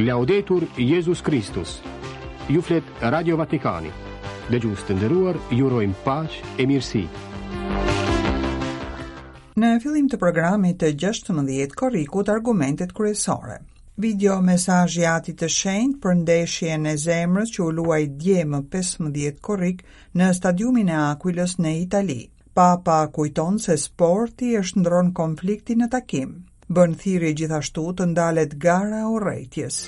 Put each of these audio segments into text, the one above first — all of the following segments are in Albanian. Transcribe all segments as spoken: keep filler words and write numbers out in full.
Laudetur Jezus Kristus. Ju flet Radio Vatikani. Dëgjues të nderuar, ju urojmë paqe e mirësi. Në fillim të programit të gjashtëmbëdhjetë korrikut, argumentet kryesore. Video mesazhi i Atit të Shenjtë për ndeshjen e zemrës që u luaj dje më pesëmbëdhjetë korrik në stadiumin e Aquilës në Itali. Papa kujton se sporti e shndron konfliktin në takim. Bën thirrje gjithashtu të ndalet gara e urrejtjes.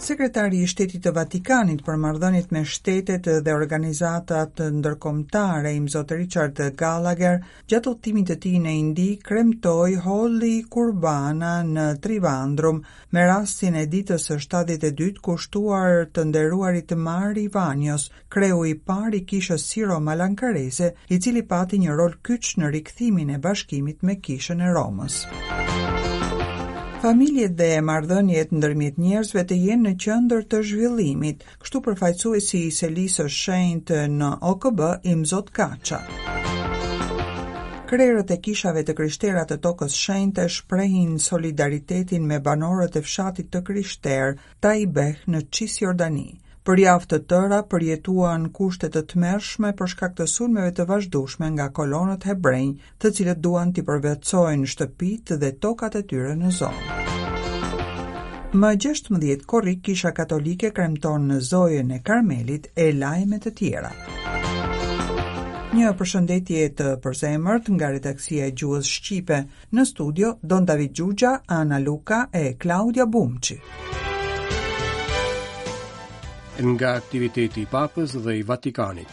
Sekretari i Shtetit të Vatikanit për marrëdhëniet me shtetet dhe organizatat ndërkombëtare, Imzot Richard Gallagher, gjatë udhëtimit të tij në Indi, kremtoi Holy Kurbana në Trivandrum me rastin e ditës së shtatëdhjetë e dytë kushtuar të nderuarit Mar Ivanios, kreu i parë i kishës Siro-Malankareze, i cili pati një rol kyç në rikthimin e bashkimit me kishën e Romës. Familjet dhe marrëdhëniet ndërmjet njerëzve të jenë në qendër të zhvillimit, kështu përfaqësuesi i Selisë së Shenjtë në O K B, Imzot Kaça. Krerët e kishave të krishtera të tokës shenjte shprehin solidaritetin me banorët e fshatit të krishterë Taibeh në Cisjordani. Për javë të tëra përjetuan kushte të tmerrshme për shkak të sulmeve të vazhdueshme nga kolonët hebrenj, të cilët duan t'i përvetësojnë shtëpitë dhe tokat e tyre në zonë. Më gjashtëmbëdhjetë korrik Kisha Katolike kremton në Zojën e Karmelit e lajme të tjera. Një përshëndetje të përzemërt nga redaksia e gjuhës shqipe. Në studio Don David Gjugja, Ana Luka e Klaudia Bumçi. Nga aktiviteti i Papës dhe i Vatikanit.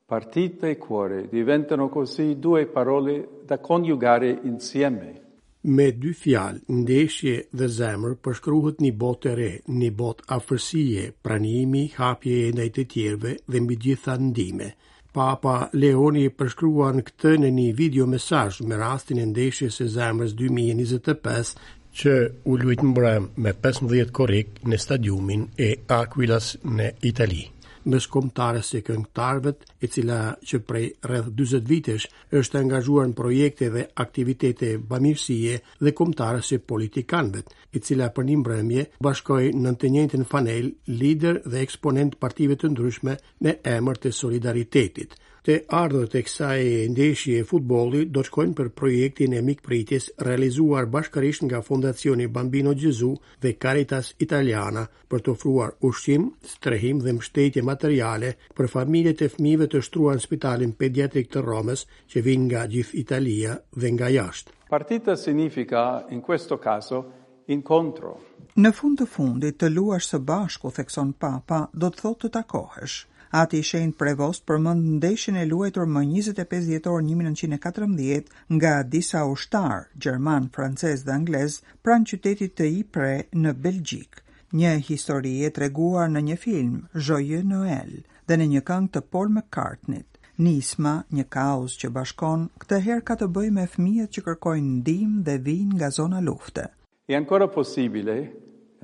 Partita e cuore diventano così due parole da coniugare insieme. Me dy fjalë, ndeshje dhe zemër, përshkruhet një botë e re, një botë afërsie, pranimi, hapje ndaj të tjerëve dhe mbi gjitha ndihme. Papa Leoni përshkruan këtë në një video mesazh me rastin e ndeshjes së zemrës dy mijë e njëzet e pesë që u luajt mbrëm me pesëmbëdhjetë korrik në stadiumin e Aquilas në Itali. Mes kombëtares së këngëtarëve, e cila që prej rreth dyzet vitesh është angazhuar në projekte dhe aktivitete bamirësie, dhe kombëtares së politikanëve, e cila për një mbrëmje bashkoi në të njëjtën fanel lider dhe eksponent partive të ndryshme në emër të solidaritetit. Të ardhurat e kësaj ndeshje futbolli do të shkojnë për projektin e mikpritjes realizuar bashkërisht nga Fondacioni Bambino Gesù dhe Caritas Italiana për të ofruar ushqim, strehim dhe mbështetje materiale për familjet e fëmijëve të shtruar në spitalin pediatrik të Romës që vijnë nga gjithë Italia dhe nga jashtë. Partita significa in questo caso incontro. Në fund të fundit, të luash së bashku, thekson Papa, do të thotë të takohesh. Ati i Shenjtë Prevost përmend ndeshjen e luajtur më njëzet e pesë dhjetor një mijë e nëntëqind e katërmbëdhjetë nga disa ushtarë gjerman, francez dhe anglez pranë qytetit të Ypres në Belgjik. Një histori e treguar në një film, Joyeux Noël, dhe në një këngë të Paul McCartney-t. Nisma, një kauzë që bashkon, këtë herë ka të bëjë me fëmijët që kërkojnë ndihmë dhe vijnë nga zona lufte. È ancora possibile,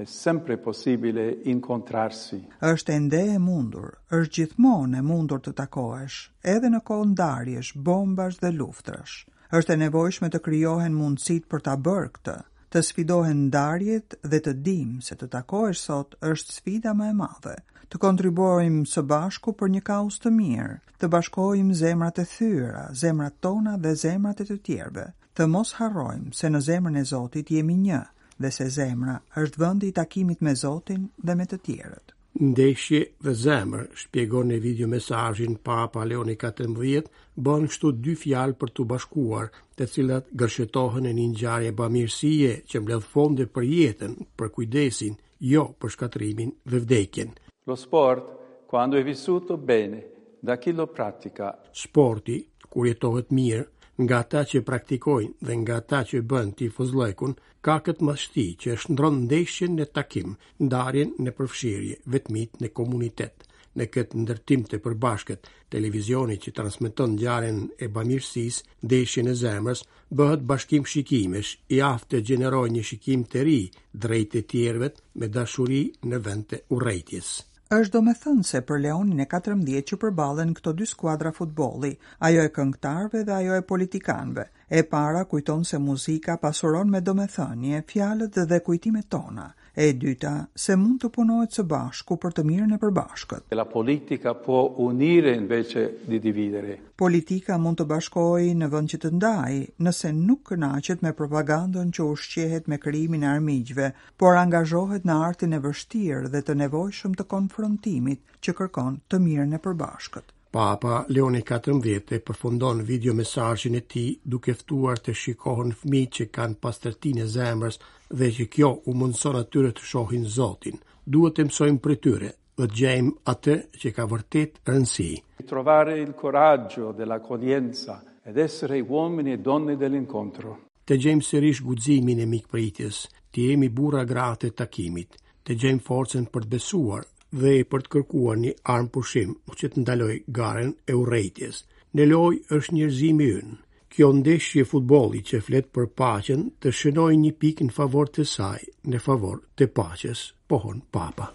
è sempre possibile incontrarsi. Është ende e mundur, është gjithmonë e mundur të takohesh, edhe në kohë ndarjesh, bombash dhe luftrash. Është e nevojshme të krijohen mundësitë për ta bërë këtë, të sfidohen ndarjet dhe të dimë se të takohesh sot është sfida më e madhe. Të kontribuojmë së bashku për një kauzë të mirë, të bashkojmë zemrat e thyera, zemrat tona dhe zemrat e të tjerëve. Të mos harrojmë se në zemrën e Zotit jemi një dhe se zemra është vendi i takimit me Zotin dhe me të tjerët. Ndeshje dhe zemër, shpjegon në video mesazhin Papa Leoni katërmbëdhjetë, bën kështu dy fjalë për t'u bashkuar, të cilat gërshetohen në një ngjarje bamirësie që mbledh fonde për jetën, për kujdesin, jo për shkatërrimin dhe vdekjen. Lo sport, quando è vissuto bene da chi lo pratica. Sporti, kur jetohet mirë, nga ata që praktikojnë dhe nga ata që bën tifozllëkun, ka këtë madhështi që shndron ndeshjen në takim, ndarjen në përfshirje, vetmit në komunitet. Në këtë ndërtim të përbashkët, televizioni që transmeton ngjarjen e bamirësisë, ndeshjen e zemrës, bëhet bashkim shikimesh, i aftë të gjenerojë një shikim të ri drejt të tjerëve me dashuri në vend të urrejtjes. Është domethënëse për Leonin e katërmbëdhjetë që përballen këto dy skuadra futbolli, ajo e këngëtarëve dhe ajo e politikanëve, E para kujton se muzika pasuron me domethënie fjalët dhe kujtimet tona. E dyta, se mund të punohet së bashku për të mirën e përbashkët. La politica può unire invece di dividere. Politika mund të bashkojë në vend që të ndajë, nëse nuk kënaqet me propagandën që ushqehet me krijimin e armiqve, por angazhohet në artin e vështirë dhe të nevojshëm të konfrontimit që kërkon të mirën e përbashkët. Papa Leoni katërmbëdhjetë e përfundon video mesazhin e tij duke ftuar të shikohen fëmijët që kanë pastërtinë e zemrës dhe që kjo u mundson atyre të shohin Zotin. Duhet të mësojmë prej tyre dhe të gjejmë atë që ka vërtet rëndësi. Trovare il coraggio dell'accoglienza ed essere uomini e donne dell'incontro. Të gjejmë sërish guximin e mikpritjes, të jemi burra gra të takimit, të gjejmë forcën për të besuar dhe për të kërkuar një armë pushim që të ndaloj garën e urrejtjes. Në lojë është njerëzimi ynë. Kjo ndeshje futbolli që flet për paqen të shënojë një pikë në favor të saj, në favor të paqes, pohon Papa.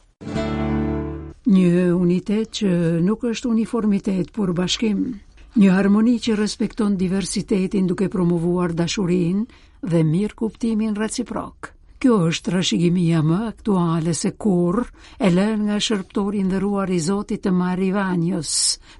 Një unitet që nuk është uniformitet, por bashkim. Një harmoni që respekton diversitetin duke promovuar dashurinë dhe mirëkuptimin reciprok. Kjo është trashëgimia më aktuale se kurrë e lënë nga shërbëtori i nderuar i Zotit të Marivanjës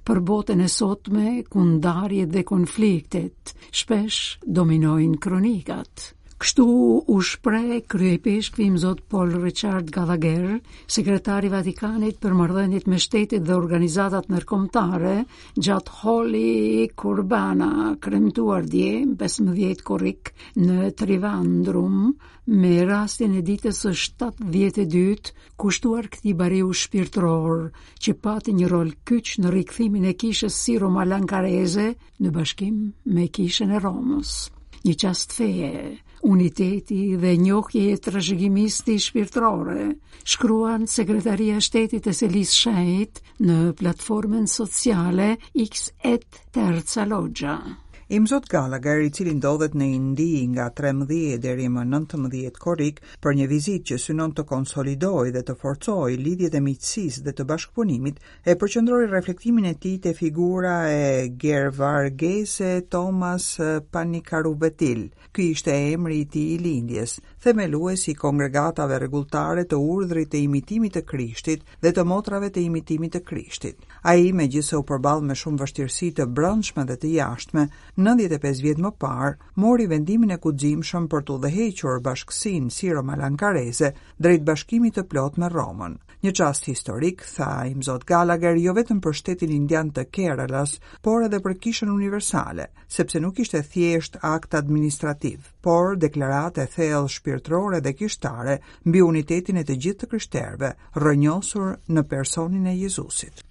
për botën e sotme ku ndarjet dhe konfliktet shpesh dominojnë kronikat. Kështu u shpreh kryeipeshkvi Imzot Paul Richard Gallagher, sekretari i Vatikanit për marrëdhëniet me shtetet dhe organizatat ndërkombëtare, gjatë Holy Kurbana, kremtuar dje, pesëmbëdhjetë korrik, në Trivandrum, me rastin e ditës së shtatëdhjetë e dytë, kushtuar këtij bariu shpirtëror, që pati një rol kyç në rikthimin e kishës siro-malankareze në bashkim me kishën e Romës. Një çast feje, uniteti dhe njohje e trashëgimisë shpirtërore, shkruan Sekretaria e Shtetit e Selisë Shenjtë në platformën sociale X et Terza Loggia. Imzot Gallagher, i cili ndodhet në Indi nga trembëdhjetë deri më nëntëmbëdhjetë korrik për një vizitë që synon të konsolidojë dhe të forcojë lidhjet e miqësisë dhe të bashkëpunimit, e përqendroi reflektimin e tij te figura e Gervargese Thomas Panikaruvetil. Ky ishte emri i tij i lindjes, themelues i kongregatave rregulltare të urdhrit të imitimit të Krishtit dhe të motrave të imitimit të Krishtit. Ai, megjithëse u përball me shumë vështirësi të brendshme dhe të jashtme, nëntëdhjetë e pesë vjet më parë, mori vendimin e guximshëm për të udhëhequr bashkësinë siro-malankareze drejt bashkimit të plot me Romën. Një çast historik, tha Imzot Gallagher, jo vetëm për shtetin indian të Keralas, por edhe për kishën universale, sepse nuk ishte thjesht akt administrativ, por deklaratë e thellë shpirtërore dhe kishtare mbi unitetin e të gjithë të krishterëve, rrënjosur në personin e Jezusit.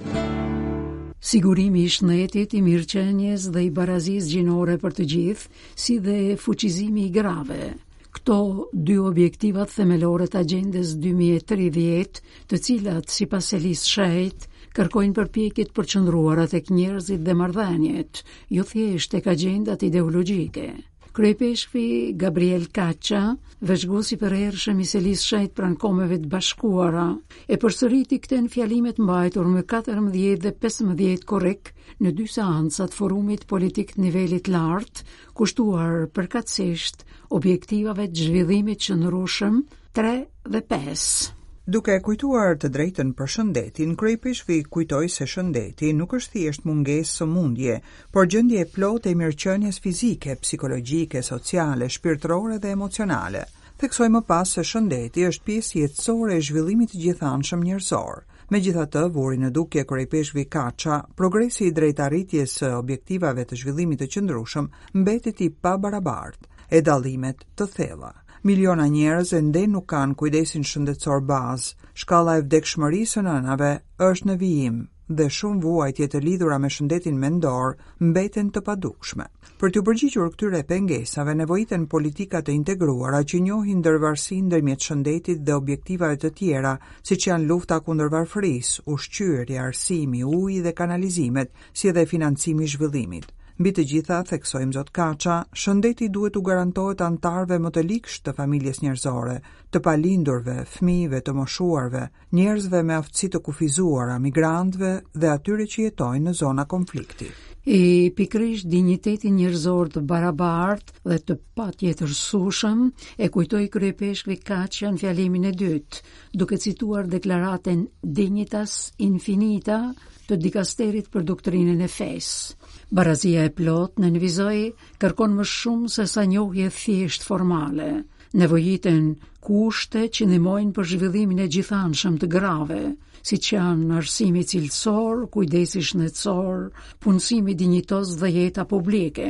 Sigurimi i shëndetit, i mirëqenies dhe i barazisë gjinore për të gjithë, si dhe fuqizimi i grave. Këto dy objektivat themelore të agjendës dy mijë e tridhjetë, të cilat, sipas Selisë Shenjtë, kërkojnë përpjekje të përqendruara tek njerëzit dhe marrëdhëniet, jo thjesht tek agjendat ideologjike. Kryepeshkvi Gabriel Kaça, vëzhgues i përhershëm i Selisë Shenjtë pranë Kombeve të Bashkuara, e përsëriti këtë në fjalimet mbajtur më katërmbëdhjetë dhe pesëmbëdhjetë korrik në dy seancat forumit politik të nivelit lartë, kushtuar përkatësisht objektivave të zhvillimit të qëndrueshëm tre dhe pesë. Duke e kujtuar të drejtën për shëndetin, kryepeshkvi kujtoi se shëndeti nuk është thjesht mungesë sëmundje, por gjendje e plotë e mirëqenies fizike, psikologjike, sociale, shpirtërore dhe emocionale. Theksoi më pas se shëndeti është pjesë jetësore e zhvillimit të gjithanshëm njerëzor. Megjithatë, vuri në dukje kryepeshkvi Kaça, progresi i drejt arritjes së objektivave të zhvillimit të qëndrueshëm mbetet i pabarabartë, e dallimet të thella. Miliona njerëz ende nuk kanë kujdesin shëndetësor bazë, shkalla e vdekshmërisë së nënave është në vijim dhe shumë vuajtje të lidhura me shëndetin mendor mbeten të padukshme. Për t'u përgjigjur këtyre pengesave nevojiten politika të integruara që njohin ndërvarësinë ndërmjet shëndetit dhe objektivave të tjera, siç janë lufta kundër varfërisë, ushqyerja, arsimi, uji dhe kanalizimet, si edhe financimi i zhvillimit. Mbi të gjitha, theksoi Imzot Kaça, shëndeti duhet u garantohet anëtarëve më të ligshtë të familjes njerëzore, të palindurve, fëmijëve, të moshuarve, njerëzve me aftësi të kufizuara, migrantëve dhe atyre që jetojnë në zona konflikti. E pikërisht dinjitetin njerëzor të barabartë dhe të patjetërsueshëm e kujtoi kryepeshkvi Kaçja në fjalimin e dytë, duke cituar deklaratën Dignitas Infinita të dikasterit për doktrinën e fesë. Barazia e plotë, nënvizoi, kërkon më shumë se sa njohje thjesht formale. Nevojiten kushte që ndihmojnë për zhvillimin e gjithanshëm të grave, siç janë arsimi cilësor, kujdesi shëndetësor, punësimi dinjitoz dhe jeta publike.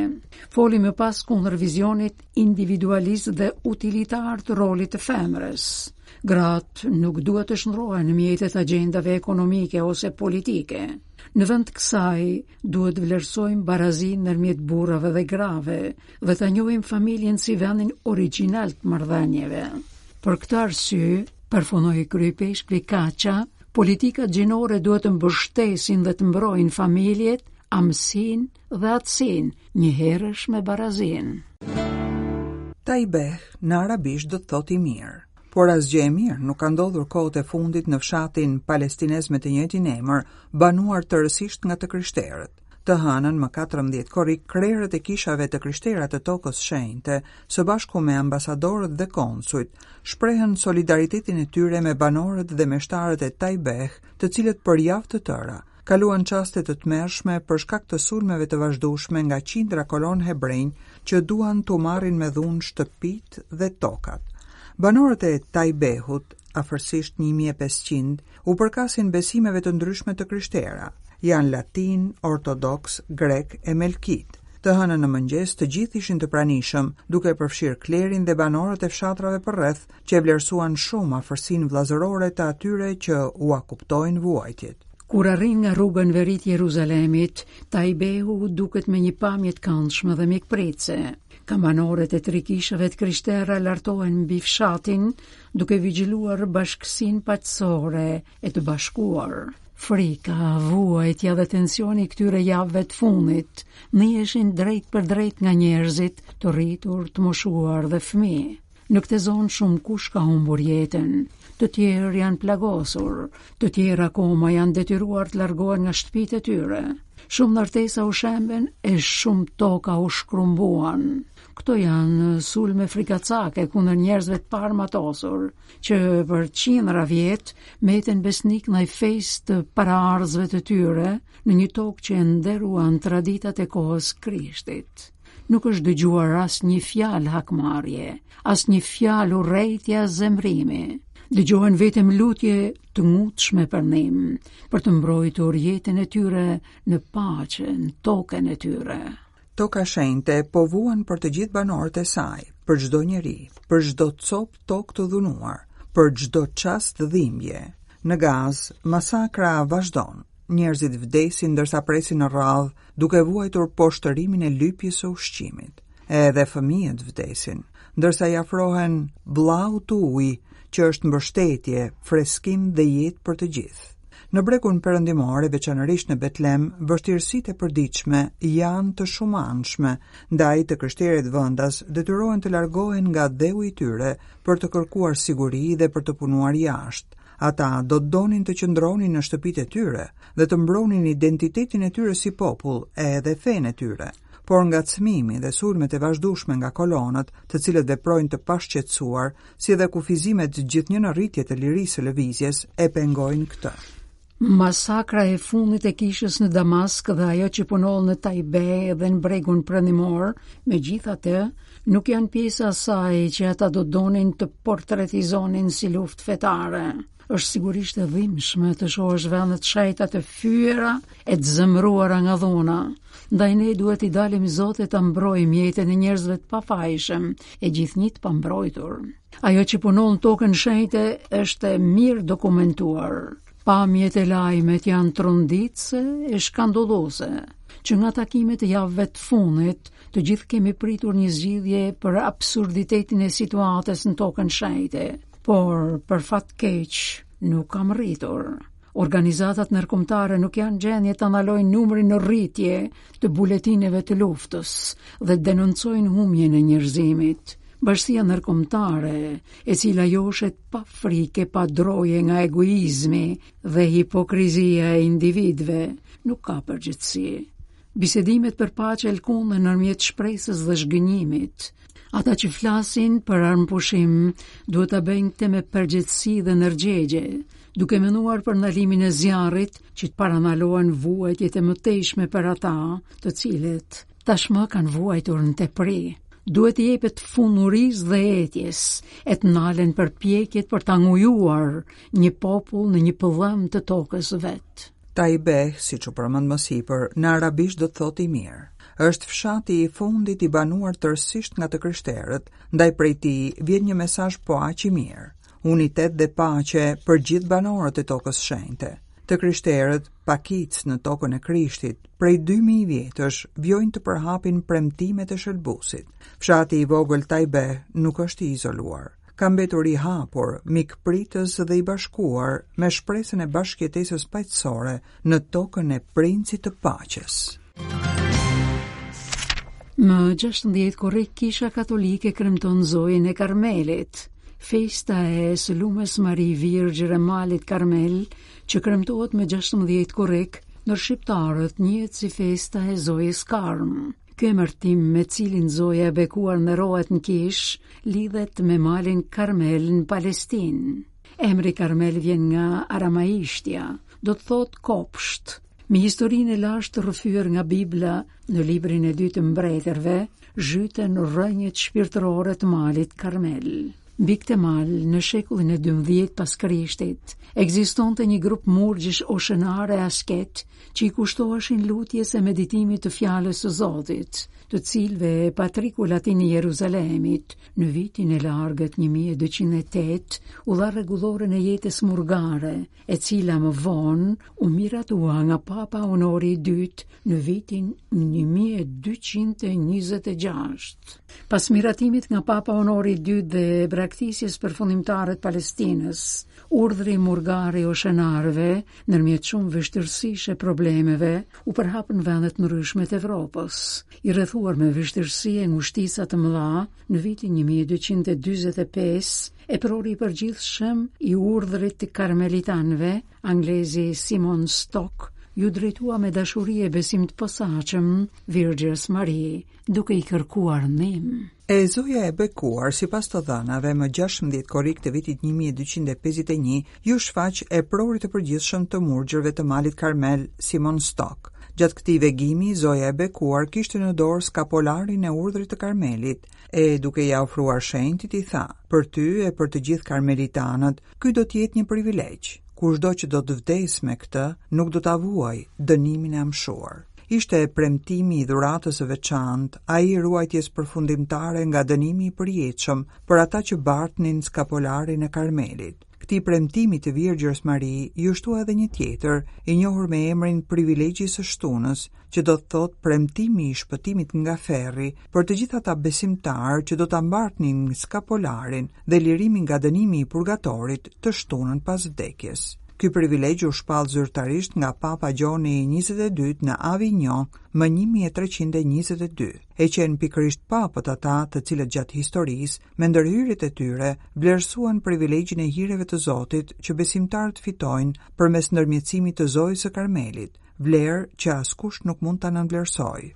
Foli më pas kundër vizionit individualist dhe utilitar të rolit të femrës. Gratë nuk duhet të shndrohen në mjetet agjendave ekonomike ose politike. Në vend të kësaj, duhet vlerësojmë barazinë ndërmjet burrave dhe grave dhe ta njohim familjen si vendin origjinal të marrëdhënieve. Për këtë arsye, përfundoi kryepeshkvi Kaça, politikat gjinore duhet të mbështesin dhe të mbrojnë familjet, amësinë dhe atësinë, njëherësh me barazinë. Taibeh në arabisht do të thotë i mirë. Por asgjë e mirë nuk ka ndodhur kohët e fundit në fshatin palestinez me të njëjtin emër, banuar tërësisht nga të krishterët. Të hënën më katërmbëdhjetë korrik, krerët e kishave të krishtera të tokës shenjte, së bashku me ambasadorët dhe konsujt, shprehën solidaritetin e tyre me banorët dhe meshtarët e Taibeh, të cilët për javë të tëra kaluan çaste të tmerrshme për shkak të sulmeve të vazhdueshme nga qindra kolon hebrenj që duan t'u marrin me dhunë shtëpitë dhe tokat. Banorët e Taibehut, afërsisht një mijë e pesëqind, u përkasin besimeve të ndryshme të krishtera. Janë latin, ortodoks, grek e melkit. Të hënën në mëngjes të gjithë ishin të pranishëm, duke përfshirë klerin dhe banorët e fshatrave përreth, që e vlerësuan shumë afërsinë vëllazërore të atyre që ua kuptojnë vuajtjet. Kur arrin nga rruga në veri të Jeruzalemit, Taibehu duket me një pamje të këndshme dhe mikpritëse. Kambanoret e tri kishave të krishtera lartohen mbi fshatin, duke vigjiluar bashkësinë paqësore e të bashkuar. Frika, vuajtja dhe tensioni i këtyre javëve të fundit ndiheshin drejt për drejt nga njerëzit, të rritur, të moshuar dhe fëmijë. Në këtë zonë shumë kush ka humbur jetën, të tjerë janë plagosur, të tjerë akoma janë detyruar të largohen nga shtëpitë e tyre. Shumë ndërtesa u shemben e shumë toka u shkrumbuan. Këto janë sulme frikacake kundër njerëzve të parmatosur, që për qindra vjet mbeten besnik ndaj fesë të paraardhësve të tyre në një tokë që e nderuan traditat e kohës Krishtit. Nuk është dëgjuar asnjë fjalë hakmarrje, asnjë fjalë urrejtje as zemrimi. Dëgjohen vetëm lutje të ngutshme për ndihmë, për të mbrojtur jetën e tyre në paqe, në tokën e tyre. Toka shenjte po vuan për të gjithë banorët e saj, për çdo njeri, për çdo copë tokë të dhunuar, për çdo çast dhimbje. Në Gazë, masakra vazhdon. Njerëzit vdesin ndërsa presin në radhë, duke vuajtur poshtërimin e lypjes së ushqimit. Edhe fëmijët vdesin, ndërsa i afrohen vllaut të ujit, që është mbështetje, freskim dhe jetë për të gjithë. Në bregun perëndimor, e veçanërisht në Betlem, vështirësitë e përditshme janë të shumanshme, ndaj të krishterët vendas detyrohen të largohen nga dheu i tyre për të kërkuar siguri dhe për të punuar jashtë. Ata do të donin të qëndronin në shtëpitë e tyre dhe të mbronin identitetin e tyre si popull edhe fenë e tyre. Por ngacmimi dhe sulmet e vazhdueshme nga kolonët, të cilët veprojnë të pashqetësuar, si edhe kufizimet gjithnjë në rritje të lirisë së lëvizjes, e pengojnë këtë. Masakra e fundit e kishës në Damask dhe ajo që punon në Taibe dhe në bregun perëndimor, megjithatë, nuk janë pjesë asaj që ata do donin të portretizonin si luftë fetare. Është sigurisht e dhimbshme të shohësh vende të shenjta të fyera e të zemëruara nga dhuna. Ndaj ne duhet i dalim Zotit ta mbrojmë jetën e njerëzve të pafajshëm e gjithnjë të pambrojtur. Ajo që punon në tokën shenjte është e mirë dokumentuar. Pamjet e lajmet janë tronditëse e skandaloze. Që nga takimet e javëve të fundit, të gjithë kemi pritur një zgjidhje për absurditetin e situatës në tokën shenjte, por për fat keq nuk kam rritur. Organizatat ndërkombëtare nuk janë gjendje të ndalojnë numrin në rritje të buletineve të luftës dhe denoncojnë humbjen e njerëzimit. Bashkësia ndërkombëtare, e cila joshet pa frikë, pa droje nga egoizmi dhe hipokrizia e individëve, nuk ka përgjegjësi. Bisedimet për paqe lkunden ndërmjet shpresës dhe zhgënjimit. Ata që flasin për armëpushim duhet ta bëjnë këtë me përgjegjësi dhe ndërgjegje, duke menduar për ndalimin e zjarrit që të parandalohen vuajtjet e mëtejshme për ata, të cilët tashmë kanë vuajtur në tepri. Duhet të jepet fund urisë dhe etjes, e të nalen përpjekjet për ta ngujuar një popull në një pëllëm të tokës vet. Taibeh, siç u përmend më sipër, në arabisht do të thotë i mirë. Është fshati i fundit i banuar tërësisht nga të krishterët, ndaj prej tij vjen një mesazh po aq i mirë. Unitet dhe paqe për gjithë banorët e tokës shenjte. Të krishterët, pakicë në tokën e Krishtit, prej dy mijë vjetësh vijojnë të përhapin premtimet e shëlbuesit. Fshati i vogël Taibeh nuk është i izoluar. Ka mbetur i hapur, mikpritës dhe i bashkuar me shpresën e bashkëjetesës paqësore në tokën e princit të paqes. Më gjashtëmbëdhjetë korrik Kisha Katolike kremton Zojën e Karmelit. Festa e së lumës Mari Virgjër e Malit Karmel, që kremtohet me gjashtëmbëdhjetë korrik, në shqiptarët njihet si festa e Zojës Karm. Ky emërtim me cilin Zoja e bekuar nderohet në kish, lidhet me malin Karmel në Palestinë. Emri Karmel vjen nga aramaishtja, do të thotë kopsht. Me historinë e lashtë rrëfyer nga Bibla në librin e dytë të mbretërve, zhyten rrënjët shpirtërore të malit Karmel. Mbi këtë mal, në shekullin e dymbëdhjetë pas Krishtit, ekzistonte një grup murgjish oshenare asket që i kushtoheshin lutjes e meditimit të fjalës së Zotit, të cilëve Patriku Latin i Jeruzalemit në vitin e largët një mijë e dyqind e tetë u dha rregulloren e jetës murgare, e cila më vonë u miratua nga Papa Honori i dytë në vitin një mijë e dyqind e njëzet e gjashtë. Pas miratimit nga Papa Honori i dytë dhe braktisjes përfundimtare të Palestinës, urdhri murgar i oshenarëve, ndërmjet shumë vështirësish e problemeve, u përhap në vende të ndryshme të Evropës. I rrethuar me vështirësi e ngushtica të mëdha, në vitin një mijë e dyqind e dyzet e pesë, eprori i përgjithshëm i urdhrit të karmelitanëve, anglezi Simon Stock, ju drejtua me dashuri e besim të posaçëm Virgjës Mari, duke i kërkuar ndihmë. E Zoja e bekuar, sipas të dhënave, më gjashtëmbëdhjetë korrik të vitit një mijë e dyqind e pesëdhjetë e një, ju shfaq eprorit të përgjithshëm të murgjërve të malit Karmel, Simon Stock. Gjatë këtij vegimi, Zoja e bekuar kishte në dorë skapolarin e urdhrit të Karmelit, e duke ia ofruar shenjtit i tha: "Për ty e për të gjithë karmelitanët, ky do të jetë një privilegj. Kushdo që do të vdesë me këtë, nuk do ta vuaj dënimin e amshuar." Ishte premtimi i dhuratës së veçantë, ai i ruajtjes përfundimtare nga dënimi i përjetshëm për ata që bartnin skapolarin e Karmelit. Këtij premtimi të Virgjërës Mari ju shtua edhe një tjetër, i njohur me emrin Privilegji së Shtunës, që do të thotë premtimi i shpëtimit nga ferri për të gjithë ata besimtarë që do ta mbartnin skapolarin dhe lirimin nga dënimi i purgatorit të shtunën pas vdekjes. Ky privilegj u shpall zyrtarisht nga Papa Gjoni i njëzet e dytë në Avignon më një mijë e treqind e njëzet e dy. E qenë pikërisht papët ata të cilët gjatë historisë, me ndërhyrjet e tyre, vlerësuan privilegjin e hireve të Zotit që besimtarët fitojnë përmes ndërmjetësimit të Zojës së Karmelit, vlerë që askush nuk mund ta nënvlerësojë.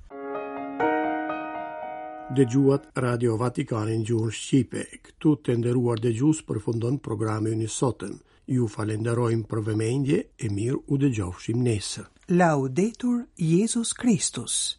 Dëgjuat Radio Vatikanin gjuhën shqipe. Këtu të nderuar dëgjues përfundon programi ynë i sotëm. Ju falenderojmë për vëmendje e mirë u dëgjofshim nesër. Laudetur Jezus Kristus.